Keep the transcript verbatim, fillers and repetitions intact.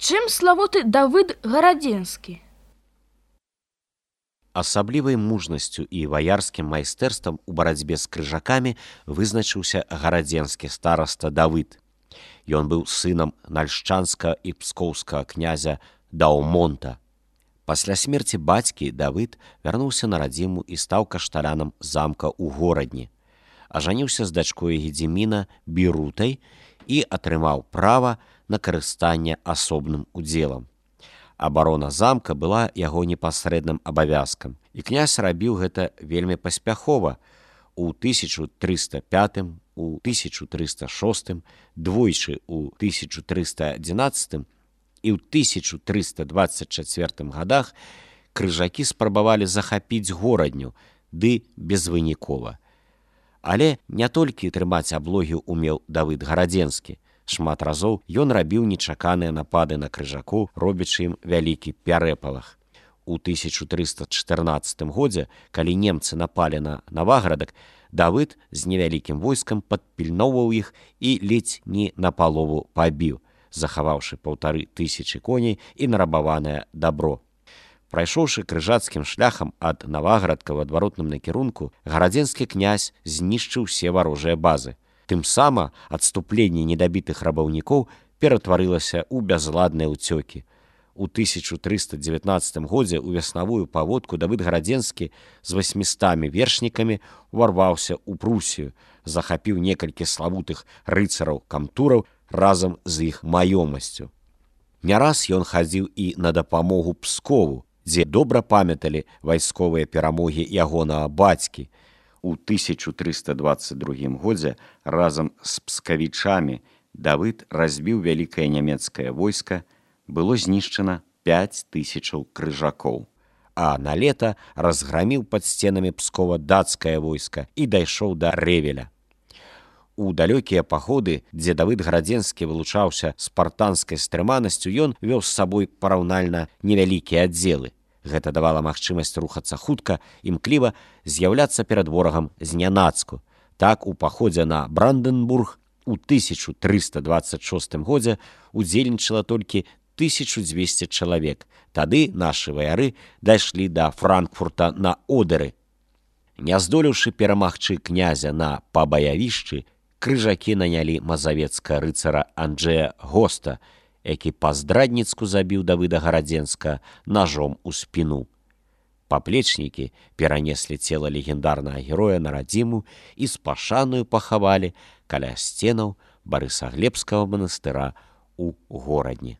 Чым славуты Давыд Гарадзенскі? Асаблівай мужнасцю і ваярскім майстэрствам у барацьбе з крыжакамі вызначыўся гарадзенскі стараста Давыд. Ён быў сынам нальшчанска і пскоўскага князя Даўмонта. Пасля смерці бацькі Давыд вярнуўся на радзіму і стаў кашталянам замка ў горадні. Ажаніўся з дачкой Гедзіміна Бірутай і атрымаў права на карыстанне асобным удзелам. Абарона замка была яго непасрэдным абавязкам, і князь рабіў гэта вельмі паспяхова. У тысяча трыста пятым, у тысяча трыста шостым, двойчы ў тысяча трыста адзінаццатым і ў тысяча трыста дваццаць чацвёртым гадах крыжакі спрабавалі захапіць горадню, ды безвынікова. Але не толькі трымаць аблогі умеў Давыд Гарадзенскі. Шмат разоў ён рабіў нечаканыя напады на крыжакоў, робячы ім вялікі пярэпалах. У тысяча трыста чатырнаццатым годзе, калі немцы напалі на Наваградак, Давыд з невялікім войскам падпільноўваў іх і ледзь не напалову пабіў, захаваўшы паўтары тысячы коней і нарабаванае дабро. Прайшоўшы крыжацкім шляхам ад Наваградка ў адваротным накірунку, гарадзенскі князь знішчыў усе варожыя базы. Тым сама адступленне недабітых рабаўнікоў ператварылася ў бязладныя ўцёкі. У тысяча трыста дзевятнаццатым годзе ў веснавую паводку Давыд Гарадзенскі з васьмістамі вершнікамі ўварваўся ў Прусію, захапіў некалькі славутых рыцараў-камтураў разам з іх маёмасцю. Не раз ён хадзіў і на дапамогу Пскову, дзе добра памяталі вайсковыя перамогі ягонага бацькі. У тысяча трыста дваццаць другім годзе разам з пскавічамі Давыд разбіў вялікае нямецкае войска, было знішчана пяць тысячаў крыжакоў, а на лета разграміў пад сценамі Пскова дацкае войска і дайшоў да Рэвеля. У далёкія паходы, дзе Давыд Гарадзенскі вылучаўся спартанскай стрыманасцю, ён вёў з сабой параўнальна невялікія аддзелы. Гэта давала магчымасць рухацца хутка, імкліва з'яўляцца перад ворагам знянацку. Так, у паходзе на Бранденбург у тысяча трыста дваццаць шостым годзе удзельнічала толькі тысяча дзвесце чалавек. Тады нашы ваяры дайшлі да Франкфурта на Одэры. Не здолеўшы перамагчы князя на пабаявішчы, крыжакі нанялі мазавецкага рыцара Анджэя Госта, які па-здрадніцку забіў Давыда Гарадзенска нажом у спіну. Паплечнікі перанеслі цела легендарнага героя на радзіму і з пашанаю пахавалі каля сценаў Барысаглебскага манастыра ў горадні.